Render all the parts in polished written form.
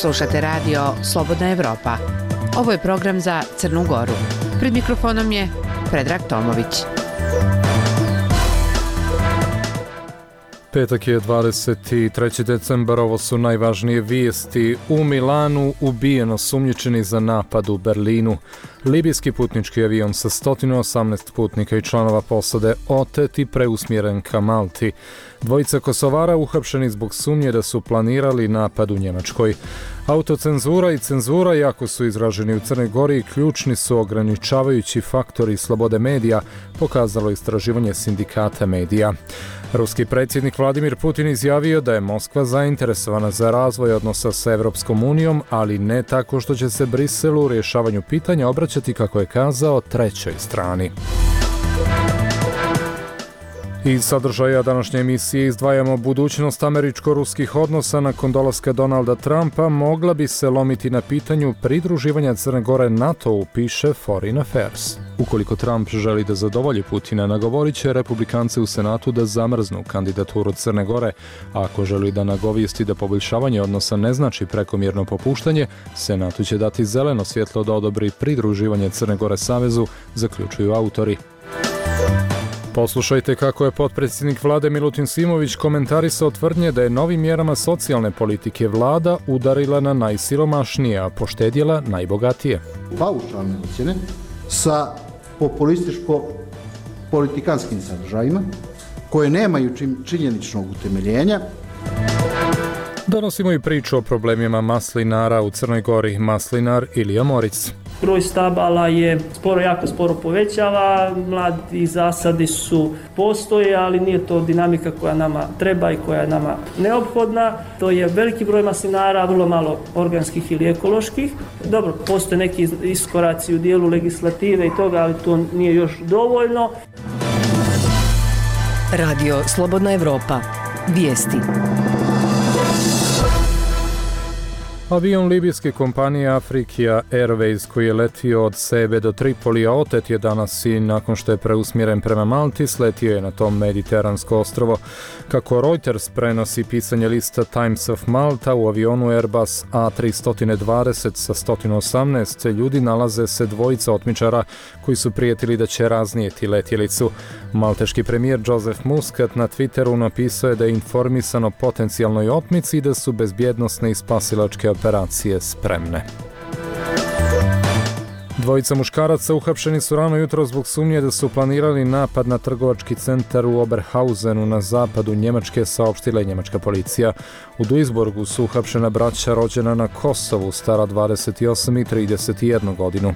Slušate radio Slobodna Evropa. Ovo je program za Crnu Goru. Pred mikrofonom je Predrag Tomović. Petak je 23. decembar, ovo su najvažnije vijesti. U Milanu ubijeno sumnjičeni za napad u Berlinu. Libijski putnički avion sa 118 putnika i članova posade otet i preusmjeren ka Malti. Dvojica Kosovara uhapšeni zbog sumnje da su planirali napad u Njemačkoj. Autocenzura i cenzura, jako su izraženi u Crnoj Gori i ključni su ograničavajući faktori slobode medija, pokazalo istraživanje sindikata medija. Ruski predsjednik Vladimir Putin izjavio da je Moskva zainteresovana za razvoj odnosa sa Evropskom unijom, ali ne tako što će se Briselu u rješavanju pitanja obraćati, kako je kazao, trećoj strani. Iz sadržaja današnje emisije izdvajamo budućnost američko-ruskih odnosa nakon dolaska Donalda Trumpa mogla bi se lomiti na pitanju pridruživanja Crne Gore NATO-u, piše Foreign Affairs. Ukoliko Trump želi da zadovolji Putina, nagovorit će republikance u Senatu da zamrznu kandidaturu Crne Gore, a ako želi da nagovijesti da poboljšavanje odnosa ne znači prekomjerno popuštanje, Senatu će dati zeleno svjetlo da odobri pridruživanje Crne Gore savezu, zaključuju autori. Poslušajte kako je potpredsjednik vlade Milutin Simović komentarisao tvrdnje da je novim mjerama socijalne politike vlada udarila na najsiromašnije, a poštedjela najbogatije. Paušalne ocjene sa populističko-politikanskim sadržajima koje nemaju činjeničnog utemeljenja. Donosimo i priču o problemima maslinara u Crnoj Gori. Maslinar Ilija Moric. Broj stabala je jako sporo povećava, mladi zasadi postoje, ali nije to dinamika koja nama treba i koja je nama neophodna. To je veliki broj maslinara, vrlo malo organskih ili ekoloških. Dobro, postoje neki iskoraci u dijelu legislative i toga, ali to nije još dovoljno. Radio Slobodna Evropa. Vijesti. Avion libijske kompanije Afrika Airways koji je letio od Sebe do Tripolija otet je danas i nakon što je preusmjeren prema Malti sletio je na tom mediteransko ostrvo. Kako Reuters prenosi pisanje lista Times of Malta, u avionu Airbus A320 sa 118 ljudi nalaze se dvojica otmičara koji su prijetili da će raznijeti letjelicu. Malteški premijer Joseph Muscat na Twitteru napisao je da je informisan o potencijalnoj otmici i da su bezbjednosne i spasilačke operacije spremne. Dvojica muškaraca uhapšeni su rano jutro zbog sumnje da su planirali napad na trgovački centar u Oberhausenu na zapadu Njemačke, saopštila je njemačka policija. U Duisburgu su uhapšena braća rođena na Kosovu, stara 28 i 31 godinu.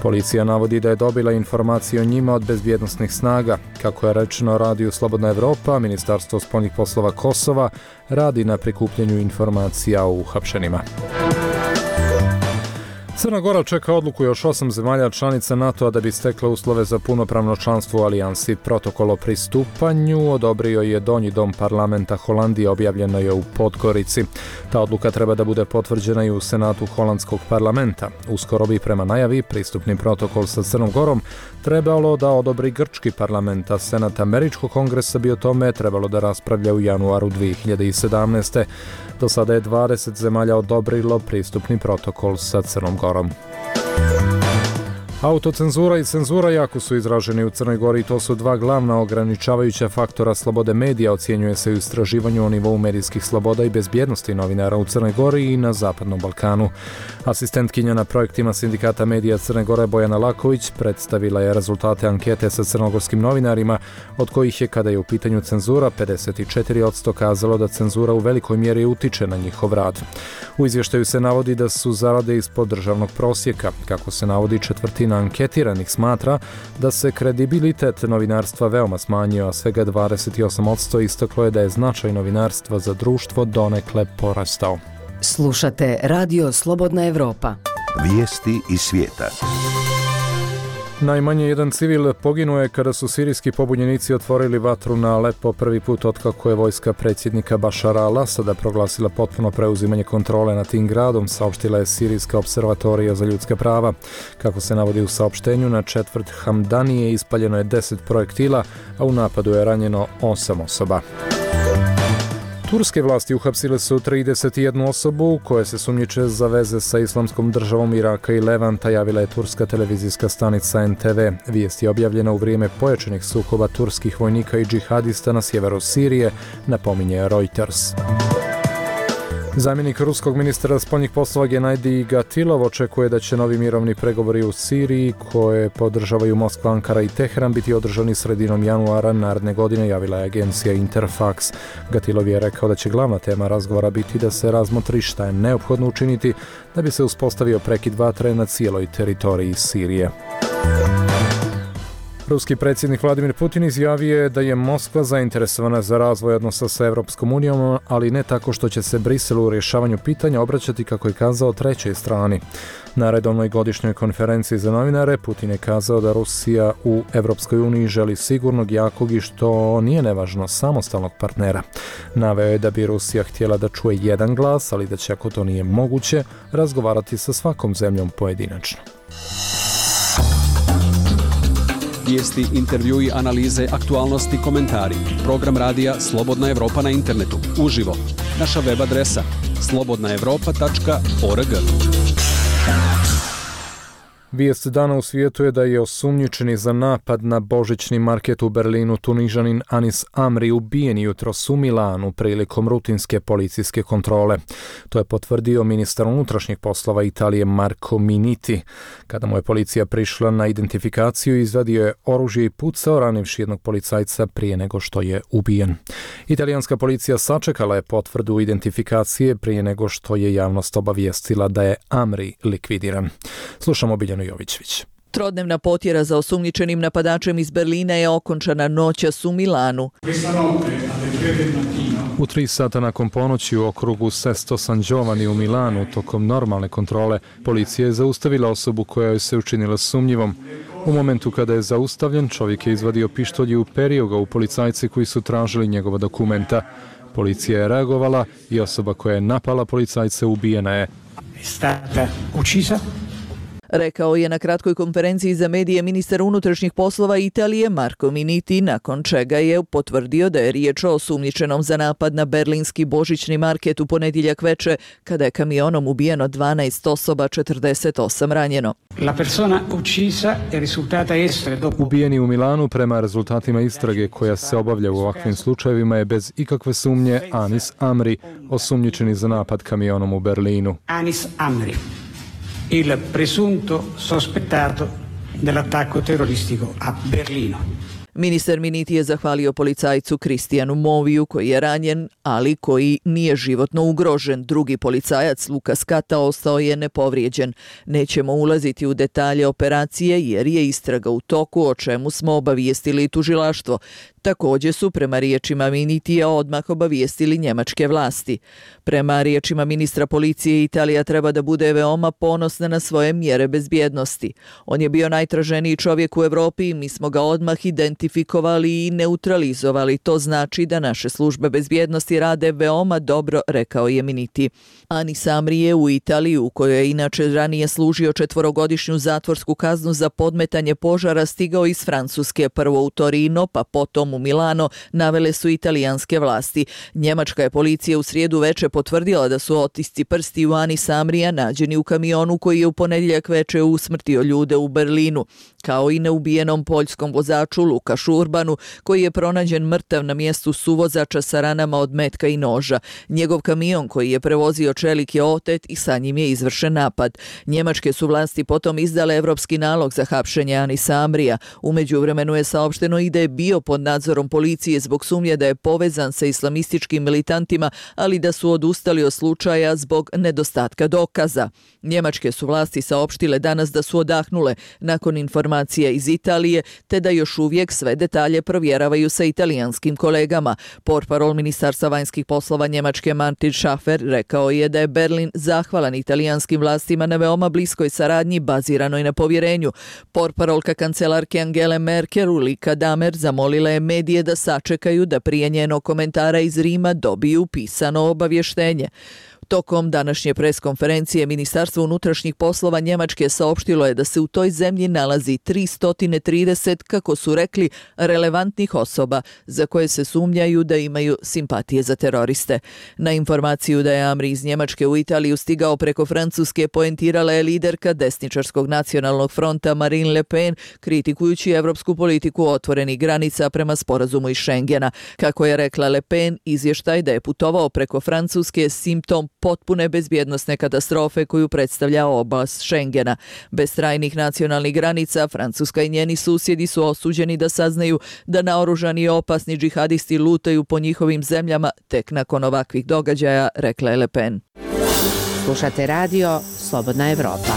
Policija navodi da je dobila informacije o njima od bezbjednosnih snaga. Kako je rečeno radiju Slobodna Evropa, Ministarstvo spoljnih poslova Kosova radi na prikupljanju informacija o uhapšenima. Crna Gora čeka odluku još 8 zemalja članica NATO-a da bi stekla uslove za punopravno članstvo u alijansi. Protokol o pristupanju odobrio je Donji dom parlamenta Holandije, objavljeno je u Podgorici. Ta odluka treba da bude potvrđena i u Senatu holandskog parlamenta. Uskoro bi prema najavi pristupni protokol sa Crnom Gorom trebalo da odobri grčki parlament, a Senat američkog kongresa bi o tome trebalo da raspravlja u januaru 2017. Do sada je 20 zemalja odobrilo pristupni protokol sa Crnom Gorom. Autocenzura i cenzura jako su izraženi u Crnoj Gori i to su dva glavna ograničavajuća faktora slobode medija, ocjenjuje se u istraživanju o nivou medijskih sloboda i bezbjednosti novinara u Crnoj Gori i na Zapadnom Balkanu. Asistentkinja na projektima sindikata medija Crne Gore Bojana Laković predstavila je rezultate ankete sa crnogorskim novinarima, od kojih je, kada je u pitanju cenzura, 54% kazalo da cenzura u velikoj mjeri utiče na njihov rad. U izvještaju se navodi da su zarade ispod državnog prosjeka. Kako se navodi, četvrtina anketiranih smatra da se kredibilitet novinarstva veoma smanjio, a svega 28% istaklo je da je značaj novinarstva za društvo donekle porastao. Slušate Radio Slobodna Evropa. Vijesti iz svijeta. Najmanje jedan civil poginuo je kada su sirijski pobunjenici otvorili vatru na Alepo prvi put otkako je vojska predsjednika Bašara al-Asada proglasila potpuno preuzimanje kontrole nad tim gradom, saopštila je Sirijska observatorija za ljudska prava. Kako se navodi u saopštenju, na četvrt Hamdanije ispaljeno je 10 projektila, a u napadu je ranjeno 8 osoba. Turske vlasti uhapsile su 31 osobu koje se sumnjiče za veze sa Islamskom državom Iraka i Levanta, javila je turska televizijska stanica NTV. Vijest je objavljena u vrijeme pojačanih sukoba turskih vojnika i džihadista na sjeveru Sirije, napominje Reuters. Zamjenik ruskog ministra spoljnih poslova Genadij Gatilov očekuje da će novi mirovni pregovori u Siriji, koje podržavaju Moskva, Ankara i Teheran, biti održani sredinom januara naredne godine, javila je agencija Interfax. Gatilov je rekao da će glavna tema razgovora biti da se razmotri šta je neophodno učiniti da bi se uspostavio prekid vatre na cijeloj teritoriji Sirije. Ruski predsjednik Vladimir Putin izjavio je da je Moskva zainteresovana za razvoj odnosa sa Europskom unijom, ali ne tako što će se Briselu u rješavanju pitanja obraćati, kako je kazao, trećoj strani. Na redovnoj godišnjoj konferenciji za novinare Putin je kazao da Rusija u Europskoj uniji želi sigurnog, jakog i, što nije nevažno, samostalnog partnera. Naveo je da bi Rusija htjela da čuje jedan glas, ali da će, ako to nije moguće, razgovarati sa svakom zemljom pojedinačno. Vijesti, intervjui, analize, aktualnosti, komentari. Program radija Slobodna Evropa na internetu. Uživo. Naša web adresa slobodnaevropa.org. Vijest dana u svijetu je da je osumnjičeni za napad na božićni market u Berlinu Tunižanin Anis Amri ubijen jutros u Milanu prilikom rutinske policijske kontrole. To je potvrdio ministar unutrašnjih poslova Italije Marco Minniti. Kada mu je policija prišla na identifikaciju, izvadio je oružje i pucao, ranivši jednog policajca prije nego što je ubijen. Italijanska policija sačekala je potvrdu identifikacije prije nego što je javnost obavijestila da je Amri likvidiran. Slušamo Biljanu Jovićević. Trodnevna potjera za osumnjičenim napadačem iz Berlina je okončana noćas u Milanu. U 3 sata nakon ponoći u okrugu Sesto San Giovanni u Milanu, tokom normalne kontrole, policija je zaustavila osobu koja joj se učinila sumnjivom. U momentu kada je zaustavljen, čovjek je izvadio pištolj i uperio ga u policajce koji su tražili njegova dokumenta. Policija je reagovala i osoba koja je napala policajce ubijena je. Rekao je na kratkoj konferenciji za medije ministar unutrašnjih poslova Italije Marco Minniti, nakon čega je potvrdio da je riječ o osumnjičenom za napad na berlinski božićni market u ponedjeljak veče, kada je kamionom ubijeno 12 osoba, 48 ranjeno. Ubijeni u Milanu, prema rezultatima istrage koja se obavlja u ovakvim slučajevima, je bez ikakve sumnje Anis Amri, osumnjičeni za napad kamionom u Berlinu. Anis Amri, il presunto sospettato dell'attacco terroristico a Berlino. Ministar Minniti je zahvalio policajcu Kristijanu Moviju, koji je ranjen, ali koji nije životno ugrožen. Drugi policajac, Lukas Kata, ostao je nepovrijeđen. Nećemo ulaziti u detalje operacije jer je istraga u toku, o čemu smo obavijestili tužilaštvo. Također su, prema riječima Minnitija, odmah obavijestili njemačke vlasti. Prema riječima ministra policije, Italija treba da bude veoma ponosna na svoje mjere bezbjednosti. On je bio najtraženiji čovjek u Europi i mi smo ga odmah identifikovali i neutralizovali. To znači da naše službe bezbjednosti rade veoma dobro, rekao je Minniti. Anis Amri je u Italiji, u kojoj je inače ranije služio 4-godišnju zatvorsku kaznu za podmetanje požara, stigao iz Francuske, prvo u Torino, pa potom u Milano, navele su italijanske vlasti. Njemačka je policija u srijedu veče potvrdila da su otisci prsti u Anis Amrija nađeni u kamionu koji je u ponedjeljak veče usmrtio ljude u Berlinu, kao i neubijenom poljskom vozaču Lukašu Urbanu, koji je pronađen mrtav na mjestu suvozača sa ranama od metka i noža. Njegov kamion koji je prevozio čelik je otet i sa njim je izvršen napad. Njemačke su vlasti potom izdale evropski nalog za hapšenje Anisa Amrija. U međuvremenu je saopšteno i da je bio pod nadzorom policije zbog sumnje da je povezan sa islamističkim militantima, ali da su odustali od slučaja zbog nedostatka dokaza. Njemačke su vlasti saopštile danas da su odahnule nakon informacija iz Italije, te da još uvijek sve detalje provjeravaju sa italijanskim kolegama. Portparol Ministarstva vanjskih poslova Njemačke Martin Schaffer rekao je da je Berlin zahvalan italijanskim vlastima na veoma bliskoj saradnji baziranoj na povjerenju. Portparolka kancelarke Angele Merkel Ulrika Damer zamolila je medije da sačekaju da prije njenog komentara iz Rima dobiju pisano obavještenje. Tokom današnje preskonferencije Ministarstvo unutrašnjih poslova Njemačke saopštilo je da se u toj zemlji nalazi 330, kako su rekli, relevantnih osoba za koje se sumnjaju da imaju simpatije za teroriste. Na informaciju da je Amri iz Njemačke u Italiju stigao preko Francuske poentirala je liderka desničarskog nacionalnog fronta Marine Le Pen, kritikujući evropsku politiku otvorenih granica prema sporazumu iz Schengena. Kako je rekla Le Pen, izvještaj da je putovao preko Francuske simptom potpune bezbjednosne katastrofe koju predstavlja oblast Schengena. Bez trajnih nacionalnih granica, Francuska i njeni susjedi su osuđeni da saznaju da naoružani i opasni džihadisti lutaju po njihovim zemljama tek nakon ovakvih događaja, rekla je Le Pen. Slušate radio Slobodna Evropa.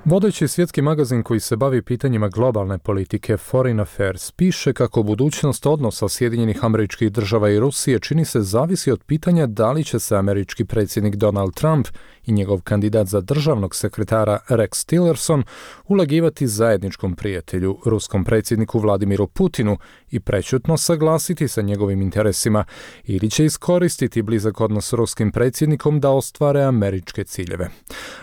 Vodeći svjetski magazin koji se bavi pitanjima globalne politike Foreign Affairs piše kako budućnost odnosa Sjedinjenih Američkih Država i Rusije čini se zavisi od pitanja da li će se američki predsjednik Donald Trump i njegov kandidat za državnog sekretara Rex Tillerson ulagivati zajedničkom prijatelju, ruskom predsjedniku Vladimiru Putinu, i prečutno saglasiti sa njegovim interesima, ili će iskoristiti blizak odnos s ruskim predsjednikom da ostvare američke ciljeve.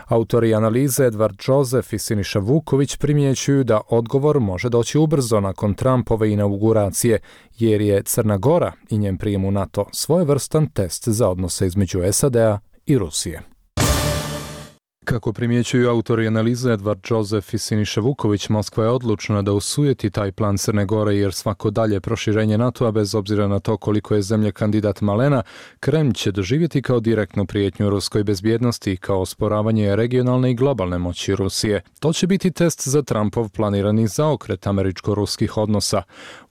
Autori analize Edward Joseph i Siniša Vuković primjećuju da odgovor može doći ubrzo nakon Trumpove inauguracije, jer je Crna Gora i njen prijem u NATO svojevrstan test za odnose između SAD-a i Rusije. Kako primjećuju autori analize Edward Joseph i Siniša Vuković, Moskva je odlučna da osujeti taj plan Crne Gore, jer svako dalje proširenje NATO-a, bez obzira na to koliko je zemlja kandidat malena, Kremlj će doživjeti kao direktnu prijetnju ruskoj bezbjednosti i kao osporavanje regionalne i globalne moći Rusije. To će biti test za Trumpov planirani zaokret američko-ruskih odnosa.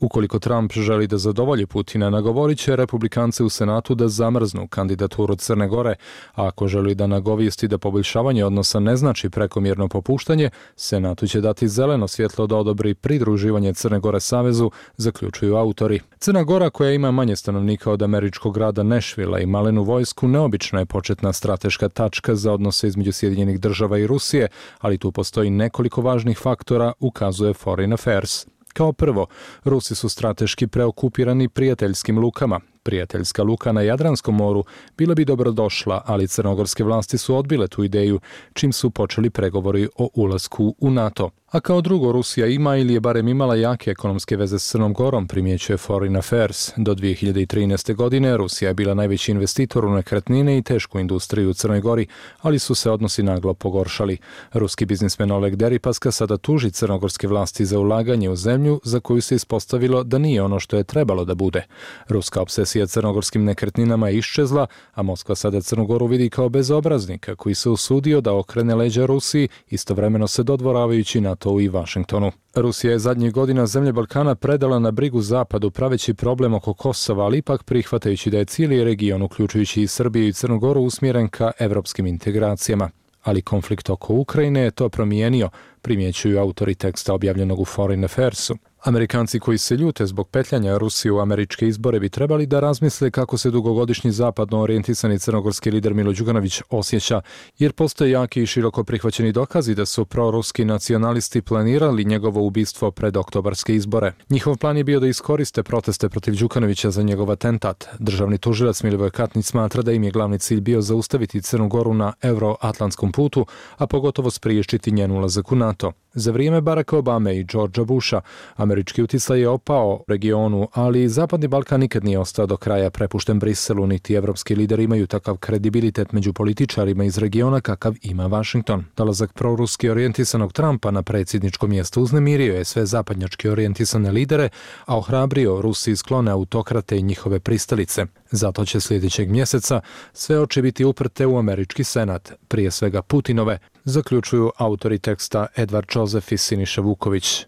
Ukoliko Trump želi da zadovolji Putina, nagovorit će republikance u Senatu da zamrznu kandidaturu Crne Gore, a ako želi da nagovijesti da poboljšavanje odnosa ne znači prekomjerno popuštanje, Senatu će dati zeleno svjetlo da odobri pridruživanje Crne Gore savezu, zaključuju autori. Crna Gora, koja ima manje stanovnika od američkog grada Nashvilla i malenu vojsku, neobična je početna strateška tačka za odnose između Sjedinjenih Država i Rusije, ali tu postoji nekoliko važnih faktora, ukazuje Foreign Affairs. Kao prvo, Rusi su strateški preokupirani prijateljskim lukama. Prijateljska luka na Jadranskom moru bila bi dobrodošla, ali crnogorske vlasti su odbile tu ideju, čim su počeli pregovori o ulasku u NATO. A kao drugo, Rusija ima ili je barem imala jake ekonomske veze s Crnom Gorom, primjećuje Foreign Affairs. Do 2013. godine Rusija je bila najveći investitor u nekretnine i tešku industriju u Crnoj Gori, ali su se odnosi naglo pogoršali. Ruski biznismen Oleg Deripaska sada tuži crnogorske vlasti za ulaganje u zemlju za koju se ispostavilo da nije ono što je trebalo da bude. Ruska obsesija crnogorskim nekretninama je iščezla, a Moskva sada Crnu Goru vidi kao bezobraznika koji se usudio da okrene leđa Rusiji, istovremeno se dodvoravajući NATO i Vašingtonu. Rusija je zadnjih godina zemlje Balkana predala na brigu Zapadu praveći problem oko Kosova, ali ipak prihvatajući da je cijeli region, uključujući i Srbiju i Crnu Goru, usmjeren ka evropskim integracijama. Ali konflikt oko Ukrajine je to promijenio, primjećuju autori teksta objavljenog u Foreign Affairsu. Amerikanci koji se ljute zbog petljanja Rusije u američke izbore bi trebali da razmisle kako se dugogodišnji zapadno orijentisani crnogorski lider Milo Đukanović osjeća, jer postoje jaki i široko prihvaćeni dokazi da su proruski nacionalisti planirali njegovo ubistvo pred oktobarske izbore. Njihov plan je bio da iskoriste proteste protiv Đukanovića za njegov atentat. Državni tužilac Milivoj Katnić smatra da im je glavni cilj bio zaustaviti Crnu Goru na euroatlantskom putu, a pogotovo spriječiti njen ulazak u NATO. Za vrijeme Baracka Obame i Georgea Busha američki utjecaj je opao u regionu, ali Zapadni Balkan nikad nije ostao do kraja prepušten Briselu, niti evropski lideri imaju takav kredibilitet među političarima iz regiona kakav ima Washington. Dolazak proruski orijentisanog Trumpa na predsjedničko mjesto uznemirio je sve zapadnjački orijentisane lidere, a ohrabrio Rusiji sklone autokrate i njihove pristalice. Zato će sljedećeg mjeseca sve oči biti uprte u američki senat, prije svega Putinove, zaključuju autori teksta Edward Joseph i Siniša Vuković.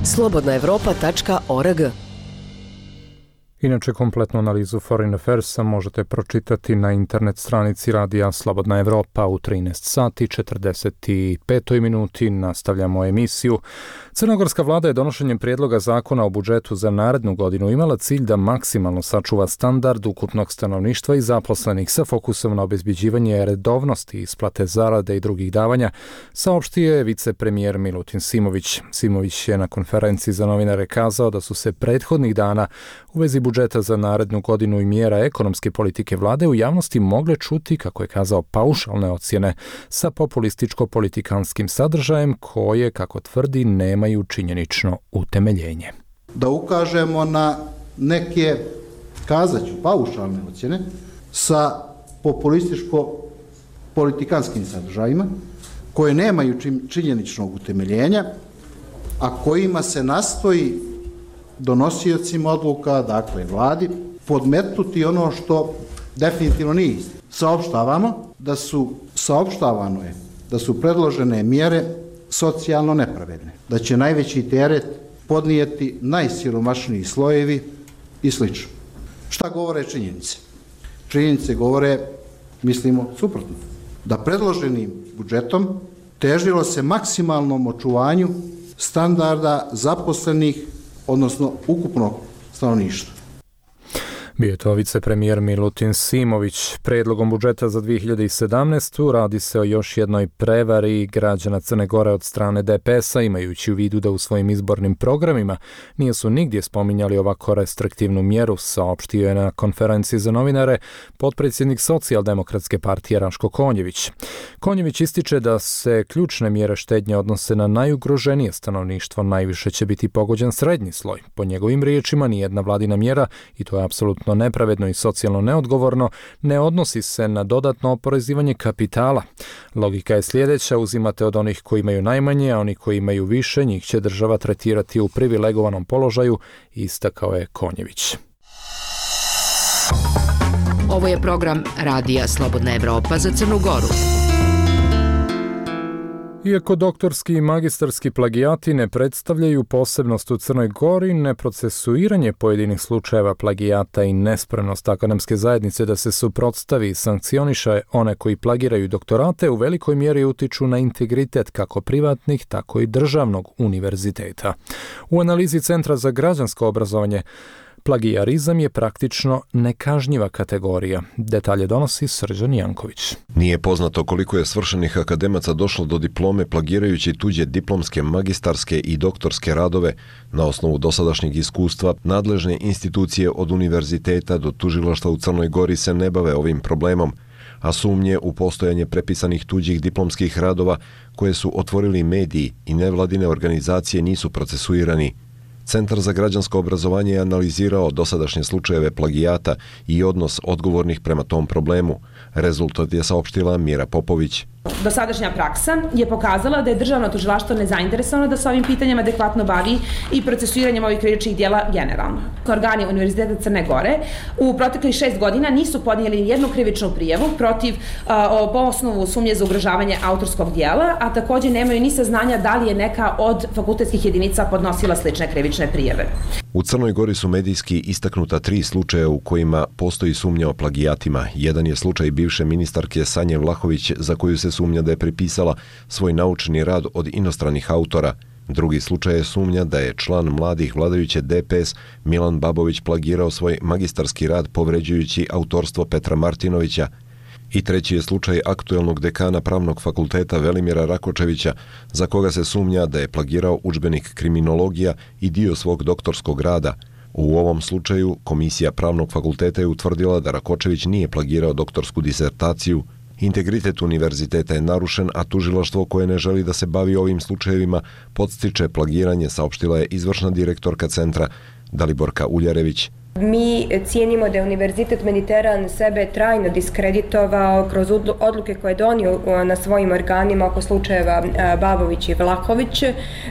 slobodnaevropa.org. Inače, kompletnu analizu Foreign Affairsa možete pročitati na internet stranici radija Slobodna Evropa u 13 sati 45 minuti. Nastavljamo emisiju. Crnogorska vlada je donošenjem prijedloga zakona o budžetu za narednu godinu imala cilj da maksimalno sačuva standard ukupnog stanovništva i zaposlenih sa fokusom na obezbjeđivanje redovnosti, isplate zarade i drugih davanja, saopštio je vicepremijer Milutin Simović. Simović je na konferenciji za novinare kazao da su se prethodnih dana u vezi budžeta budžeta za narednu godinu i mjera ekonomske politike vlade u javnosti mogle čuti, kako je kazao, paušalne ocjene sa populističko-politikanskim sadržajem koje, kako tvrdi, nemaju činjenično utemeljenje. Da ukažemo na neke, kazaću, paušalne ocjene sa populističko-politikanskim sadržajima koje nemaju činjeničnog utemeljenja, a kojima se nastoji donosiocima odluka, dakle vladi, podmetnuti ono što definitivno nije istina. Saopštavano je da su predložene mjere socijalno nepravedne, da će najveći teret podnijeti najsiromašniji slojevi i sl. Šta govore činjenice? Činjenice govore, mislimo, suprotno. Da predloženim budžetom težilo se maksimalnom očuvanju standarda zaposlenih, odnosno ukupnog stanovništva. Bio je to vicepremijer Milutin Simović. Predlogom budžeta za 2017. radi se o još jednoj prevari građana Crne Gore od strane DPS-a, imajući u vidu da u svojim izbornim programima nisu nigdje spominjali ovako restriktivnu mjeru, saopštio je na konferenciji za novinare potpredsjednik Socijaldemokratske partije Raško Konjević. Konjević ističe da se ključne mjere štednje odnose na najugroženije stanovništvo, najviše će biti pogođen srednji sloj. Po njegovim riječima, nijedna vladina mjera, i to je apsolutno nepravedno i socijalno neodgovorno, ne odnosi se na dodatno oporezivanje kapitala. Logika je sljedeća: uzimate od onih koji imaju najmanje, a oni koji imaju više, njih će država tretirati u privilegovanom položaju, istakao je Konjević. Ovo je program Radija Slobodna Evropa za Crnu Goru. Iako doktorski i magistarski plagijati ne predstavljaju posebnost u Crnoj Gori, neprocesuiranje pojedinih slučajeva plagijata i nespremnost akademske zajednice da se suprotstavi i sankcioniše one koji plagiraju doktorate u velikoj mjeri utiču na integritet kako privatnih, tako i državnog univerziteta. U analizi Centra za građansko obrazovanje, plagijarizam je praktično nekažnjiva kategorija. Detalje donosi Srđan Janković. Nije poznato koliko je svršenih akademaca došlo do diplome plagirajući tuđe diplomske, magistarske i doktorske radove. Na osnovu dosadašnjeg iskustva, nadležne institucije od univerziteta do tužilaštva u Crnoj Gori se ne bave ovim problemom, a sumnje u postojanje prepisanih tuđih diplomskih radova koje su otvorili mediji i nevladine organizacije nisu procesuirani. Centar za građansko obrazovanje je analizirao dosadašnje slučajeve plagijata i odnos odgovornih prema tom problemu. Rezultat je saopštila Mira Popović. Dosadašnja praksa je pokazala da je državno tužilaštvo nezainteresovano da se ovim pitanjima adekvatno bavi i procesuiranjem ovih krivičnih djela generalno. Organi Univerziteta Crne Gore u proteklih 6 godina nisu podnijeli jednu krivičnu prijavu po osnovu sumnje za ugrožavanje autorskog djela, a također nemaju ni saznanja da li je neka od fakultetskih jedinica podnosila slične krivične prijave. U Crnoj Gori su medijski istaknuta 3 slučaja u kojima postoji sumnja o plagijatima. Jedan je slučaj bivše ministarke Sanje Vlahović, za koju se sumnja da je prepisala svoj naučni rad od inostranih autora. Drugi slučaj je sumnja da je član mladih vladajuće DPS Milan Babović plagirao svoj magistarski rad povređujući autorstvo Petra Martinovića. I treći je slučaj aktuelnog dekana Pravnog fakulteta Velimira Rakočevića, za koga se sumnja da je plagirao udžbenik kriminologija i dio svog doktorskog rada. U ovom slučaju Komisija Pravnog fakulteta je utvrdila da Rakočević nije plagirao doktorsku disertaciju. Integritet univerziteta je narušen, a tužilaštvo koje ne želi da se bavi ovim slučajevima podstiče plagiranje, saopštila je izvršna direktorka centra Daliborka Uljarević. Mi cijenimo da je Univerzitet Mediteran sebe trajno diskreditovao kroz odluke koje je donio na svojim organima oko slučajeva Babović i Vlahović,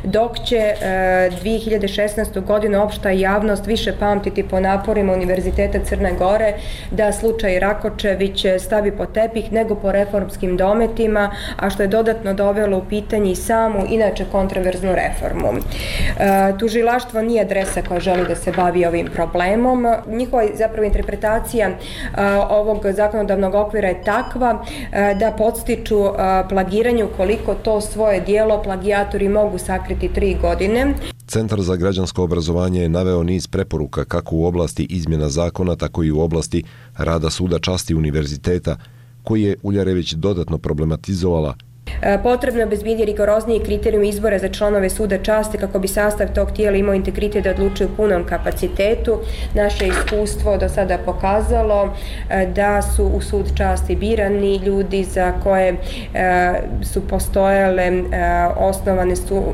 dok će 2016. godinu opšta javnost više pamtiti po naporima Univerziteta Crne Gore da slučaj Rakočević stavi po tepih nego po reformskim dometima, a što je dodatno dovelo u pitanje i samu, inače kontroverznu reformu. Tužilaštvo nije adresa koja želi da se bavi ovim problemom. Njihova zapravo interpretacija ovog zakonodavnog okvira je takva da podstiču plagiranju koliko to svoje dijelo plagijatori mogu sakriti 3 godine. Centar za građansko obrazovanje je naveo niz preporuka kako u oblasti izmjena zakona, tako i u oblasti rada suda časti univerziteta, koji je Uljarević dodatno problematizovala. Potrebno je obezbijediti rigorozniji kriterijum izbora za članove suda časti kako bi sastav tog tijela imao integritet da odlučuje u punom kapacitetu. Naše iskustvo do sada pokazalo da su u sud časti birani ljudi za koje su postojale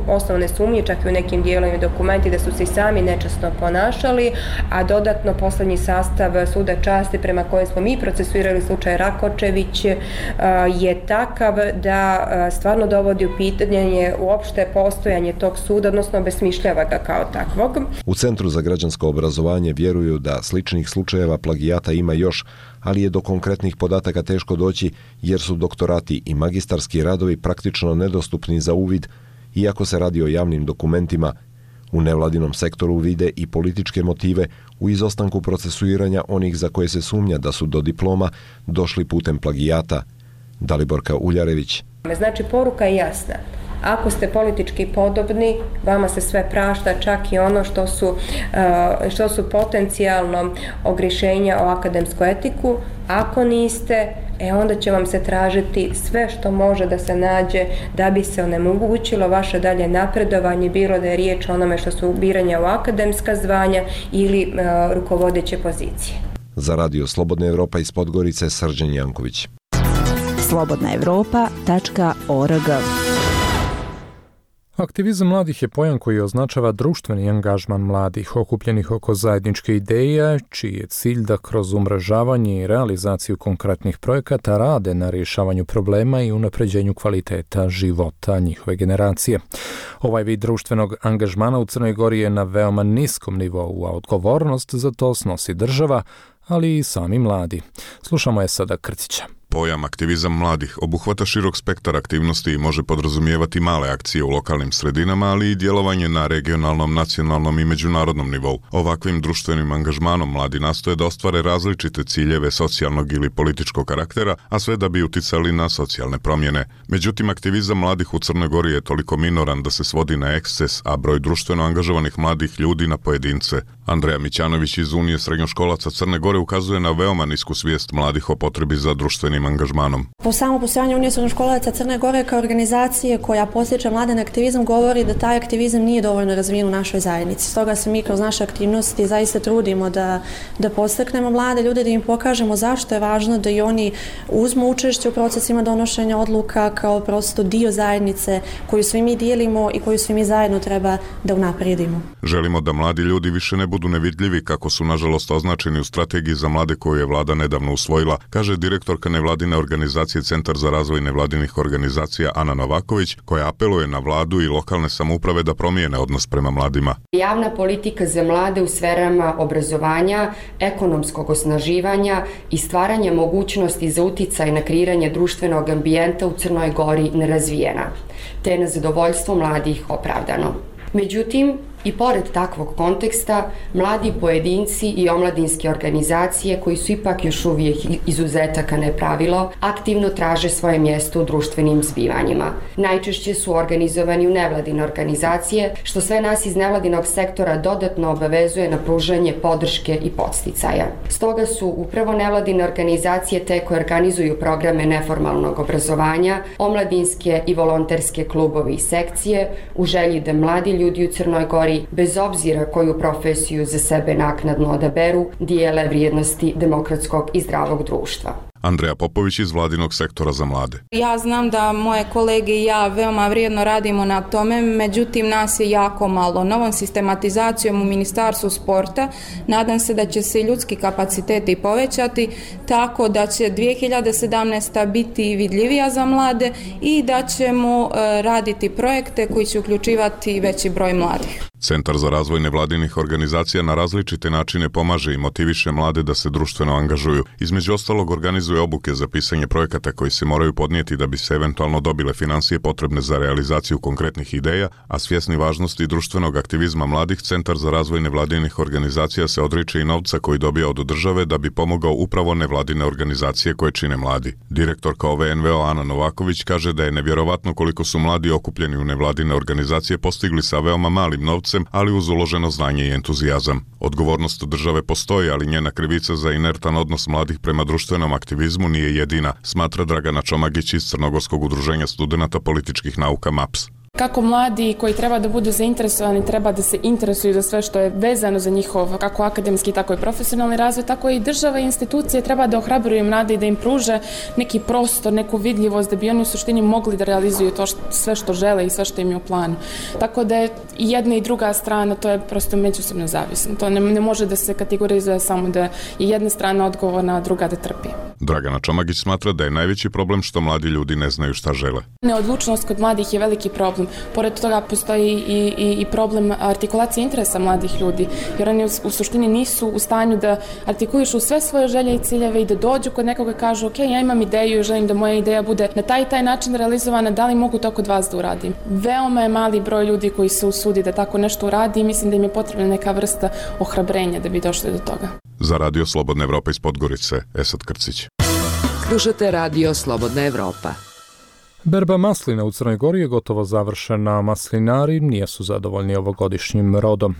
osnovane sumnje, čak i u nekim dijelovima dokumenti da su se i sami nečasno ponašali, a dodatno posljednji sastav suda časti prema kojem smo mi procesuirali slučaj Rakočević je takav da stvarno dovodi u pitanje uopšte postojanje tog suda, odnosno obesmišljava ga kao takvog. U Centru za građansko obrazovanje vjeruju da sličnih slučajeva plagijata ima još, ali je do konkretnih podataka teško doći jer su doktorati i magistarski radovi praktično nedostupni za uvid, iako se radi o javnim dokumentima. U nevladinom sektoru vide i političke motive u izostanku procesuiranja onih za koje se sumnja da su do diploma došli putem plagijata. Daliborka Uljarević. Znači, poruka je jasna. Ako ste politički podobni, vama se sve prašta, čak i ono što su potencijalno ogriješenja o akademsku etiku. Ako niste, onda će vam se tražiti sve što može da se nađe da bi se onemogućilo vaše dalje napredovanje, bilo da je riječ o onome što su biranja u akademska zvanja ili rukovodeće pozicije. Za Radio Slobodna Evropa iz Podgorice, Srđan Janković. slobodnaevropa.org. Aktivizam mladih je pojam koji označava društveni angažman mladih okupljenih oko zajedničke ideje, čiji je cilj da kroz umrežavanje i realizaciju konkretnih projekata rade na rješavanju problema i unapređenju kvaliteta života njihove generacije. Ovaj vid društvenog angažmana u Crnoj Gori je na veoma niskom nivou, a odgovornost za to snosi država, ali i sami mladi. Slušamo je sada Krcića. Pojam aktivizam mladih obuhvata širok spektar aktivnosti i može podrazumijevati male akcije u lokalnim sredinama, ali i djelovanje na regionalnom, nacionalnom i međunarodnom nivou. Ovakvim društvenim angažmanom mladi nastoje da ostvare različite ciljeve socijalnog ili političkog karaktera, a sve da bi uticali na socijalne promjene. Međutim, aktivizam mladih u Crnoj Gori je toliko minoran da se svodi na eksces, a broj društveno angažovanih mladih ljudi na pojedince. Andreja Mićanović iz Unije srednjoškolaca Crne Gore ukazuje na veoma nisku svijest mladih o potrebi za društvenim angažmanom. Po samom postojanju Unije srednjoškolaca Crne Gore kao organizacije koja potiče mlade na aktivizam govori da taj aktivizam nije dovoljno razvijen u našoj zajednici. Stoga se mi kroz naše aktivnosti zaista trudimo da podstaknemo mlade ljude, da im pokažemo zašto je važno da i oni uzmu učešće u procesima donošenja odluka kao prosto dio zajednice koju svi mi dijelimo i koju svi mi zajedno treba da unaprijedimo. Želimo da mladi ljudi više ne budu nevidljivi kako su nažalost označeni u strategiji za mlade koju je vlada nedavno usvojila, kaže direktorka nevladine organizacije Centar za razvoj nevladinih organizacija Ana Novaković, koja apeluje na vladu i lokalne samouprave da promijene odnos prema mladima. Javna politika za mlade u sferama obrazovanja, ekonomskog osnaživanja i stvaranja mogućnosti za uticaj na kreiranje društvenog ambijenta u Crnoj Gori nerazvijena, te je na zadovoljstvo mladih opravdano. Međutim, i pored takvog konteksta, mladi pojedinci i omladinske organizacije, koji su ipak još uvijek izuzetak a ne pravilo, aktivno traže svoje mjesto u društvenim zbivanjima. Najčešće su organizovani u nevladine organizacije, što sve nas iz nevladinog sektora dodatno obavezuje na pružanje podrške i podsticaja. Stoga su upravo nevladine organizacije te koje organizuju programe neformalnog obrazovanja, omladinske i volonterske klubovi i sekcije, u želji da mladi ljudi u Crnoj Gori, bez obzira koju profesiju za sebe naknadno odaberu, dijele vrijednosti demokratskog i zdravog društva. Andreja Popović iz vladinog sektora za mlade. Ja znam da moje kolege i ja veoma vrijedno radimo na tome, međutim nas je jako malo. Novom sistematizacijom u Ministarstvu sporta nadam se da će se ljudski kapaciteti povećati, tako da će 2017. biti vidljivija za mlade i da ćemo raditi projekte koji će uključivati veći broj mladih. Centar za razvoj nevladinih organizacija na različite načine pomaže i motiviše mlade da se društveno angažuju. Između ostalog organizuje obuke za pisanje projekata koji se moraju podnijeti da bi se eventualno dobile financije potrebne za realizaciju konkretnih ideja, a svjesni važnosti društvenog aktivizma mladih, Centar za razvoj nevladinih organizacija se odriče i novca koji dobija od države da bi pomogao upravo nevladine organizacije koje čine mladi. Direktorka OVNVO Ana Novaković kaže da je nevjerovatno koliko su mladi okupljeni u nevladine organizacije postigli sa veoma malim novcem srcem, ali uz uloženo znanje i entuzijazam. Odgovornost države postoji, ali njena krivica za inertan odnos mladih prema društvenom aktivizmu nije jedina, smatra Dragana Čomagić iz Crnogorskog udruženja studenata političkih nauka MAPS. Kako mladi koji treba da budu zainteresovani, treba da se interesuju za sve što je vezano za njihov kako akademski, tako i profesionalni razvoj, tako i država i institucije treba da ohrabruju mlade i da im pruže neki prostor, neku vidljivost da bi oni u suštini mogli da realizuju to sve što žele i sve što im je u planu. Tako da je i jedna i druga strana, to je prosto međusobno zavisno. To ne može da se kategorizuje samo da je jedna strana odgovorna, a druga da trpi. Dragana Čomagić smatra da je najveći problem što mladi ljudi ne znaju šta žele. Neodlučnost kod mladih je veliki problem. Pored toga postoji i problem artikulacije interesa mladih ljudi, jer oni u suštini nisu u stanju da artikulišu sve svoje želje i ciljeve i da dođu kod nekoga i kažu ok, ja imam ideju i želim da moja ideja bude na taj način realizovana, da li mogu to kod vas da uradim. Veoma je mali broj ljudi koji se usudi da tako nešto uradi i mislim da im je potrebna neka vrsta ohrabrenja da bi došli do toga. Za Radio Slobodna Evropa iz Podgorice, Esad Krcić. Slušate Radio Slobodna Evropa. Berba maslina u Crnoj Gori je gotovo završena, maslinari nisu zadovoljni ovogodišnjim rodom.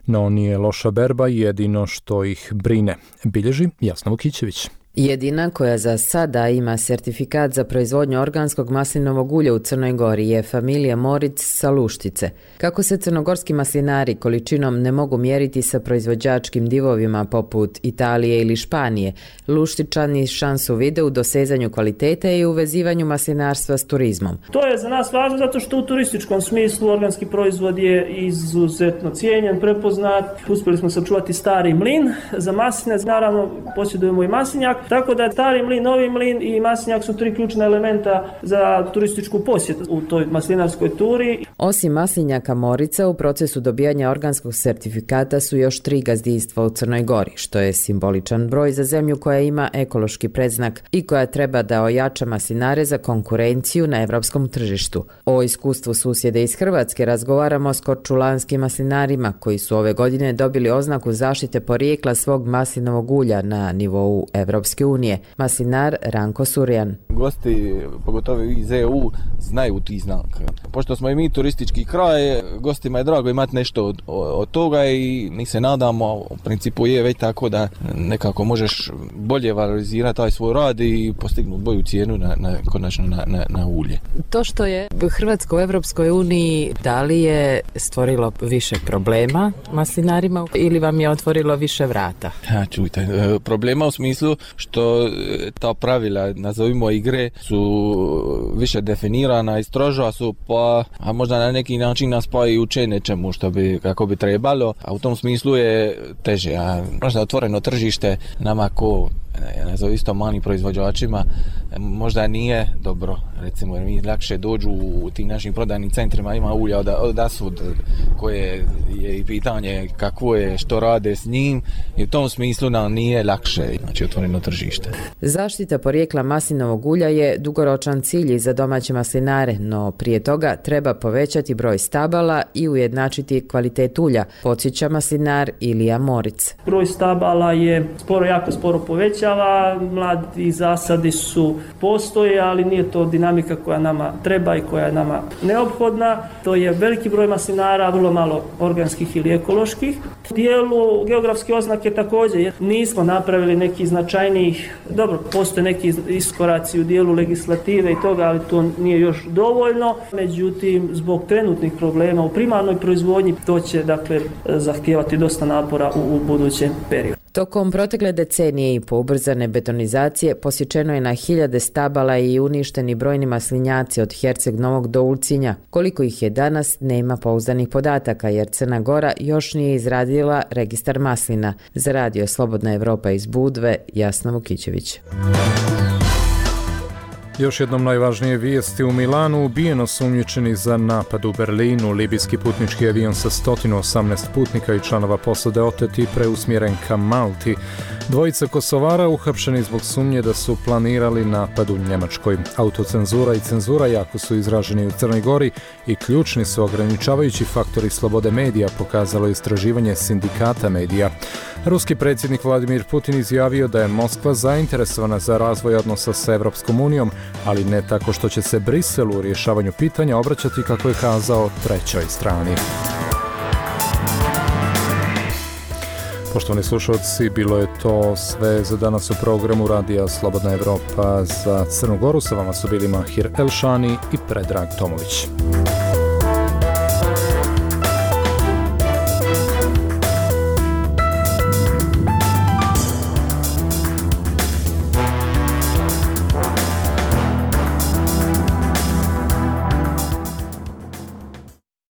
No nije loša berba jedino što ih brine, bilježi Jasna Vukićević. Jedina koja za sada ima sertifikat za proizvodnju organskog maslinovog ulja u Crnoj Gori je familija Moric sa Luštice. Kako se crnogorski maslinari količinom ne mogu mjeriti sa proizvođačkim divovima poput Italije ili Španije, Luštičani šansu vide u dosezanju kvalitete i uvezivanju maslinarstva s turizmom. To je za nas važno zato što u turističkom smislu organski proizvod je izuzetno cijenjen, prepoznat. Uspjeli smo sačuvati stari mlin za masline, naravno posjedujemo i maslinjak. Tako da stari mlin, novi mlin i maslinjak su tri ključna elementa za turističku posjetu u toj maslinarskoj turi. Osim maslinjaka Morica, u procesu dobijanja organskog sertifikata su još 3 gazdinstva u Crnoj Gori, što je simboličan broj za zemlju koja ima ekološki predznak i koja treba da ojača maslinare za konkurenciju na evropskom tržištu. O iskustvu susjede iz Hrvatske razgovaramo s korčulanskim maslinarima koji su ove godine dobili oznaku zaštite porijekla svog maslinovog ulja na nivou Evropske unije. Maslinar Ranko Surjan. Gosti, pogotovo iz EU, znaju ti znaka. Pošto smo i mi turistički kraj, gostima je drago imati nešto od toga i mi se nadamo, u principu je već tako da nekako možeš bolje valorizirati taj svoj rad i postignuti bolju cijenu konačno na ulje. To što je Hrvatska u Evropskoj uniji, da li je stvorilo više problema maslinarima ili vam je otvorilo više vrata? Čujte, problema u smislu što ta pravila, nazovimo igre, su više definirana i stroža su, pa a možda na neki način nas pa i uče nečemu što bi, kako bi trebalo, a u tom smislu je teže. A možda otvoreno tržište nama ko nazove isto malim proizvođačima možda nije dobro, recimo, jer mi lakše dođu u tim našim prodajnim centrima, ima ulja od asud koje je i pitanje kakvo je, što rade s njim i u tom smislu nam nije lakše, znači otvoreno tržište. Zaštita porijekla maslinovog ulja je dugoročan cilj za domaće maslinare, no prije toga treba povećati broj stabala i ujednačiti kvalitet ulja, podsjeća maslinar Ilija Moric. Broj stabala je jako sporo povećava, mladi zasadi postoje, ali nije to dinamika koja nama treba i koja je nama neophodna. To je veliki broj maslinara, vrlo malo organskih ili ekoloških. U dijelu geografske oznake također nismo napravili neki značajnijih, dobro, postoje neki iskoraci u dijelu legislative i toga, ali to nije još dovoljno. Međutim, zbog trenutnih problema u primarnoj proizvodnji, to će dakle zahtijevati dosta napora u budućem periodu. Tokom protekle decenije i po ubrzane betonizacije posječeno je na hiljade stabala i uništeni brojni maslinjaci od Herceg Novog do Ulcinja. Koliko ih je danas, nema pouzdanih podataka jer Crna Gora još nije izradila registar maslina. Za Radio Slobodna Evropa iz Budve, Jasna Vukićević. Još jednom najvažnije vijesti: u Milanu ubijen osumnjičeni za napad u Berlinu. Libijski putnički avion sa 118 putnika i članova posade otet i preusmjeren ka Malti. Dvojica Kosovara uhapšeni zbog sumnje da su planirali napad u Njemačkoj. Autocenzura i cenzura jako su izraženi u Crnoj Gori i ključni su ograničavajući faktori slobode medija, pokazalo istraživanje sindikata medija. Ruski predsjednik Vladimir Putin izjavio da je Moskva zainteresovana za razvoj odnosa sa Evropskom unijom, ali ne tako što će se Briselu u rješavanju pitanja obraćati, kako je kazao, trećoj strani. Poštovani slušalci, bilo je to sve za danas u programu Radija Slobodna Evropa. Za Crnu Goru sa vama su bili Mahir Elšani i Predrag Tomović.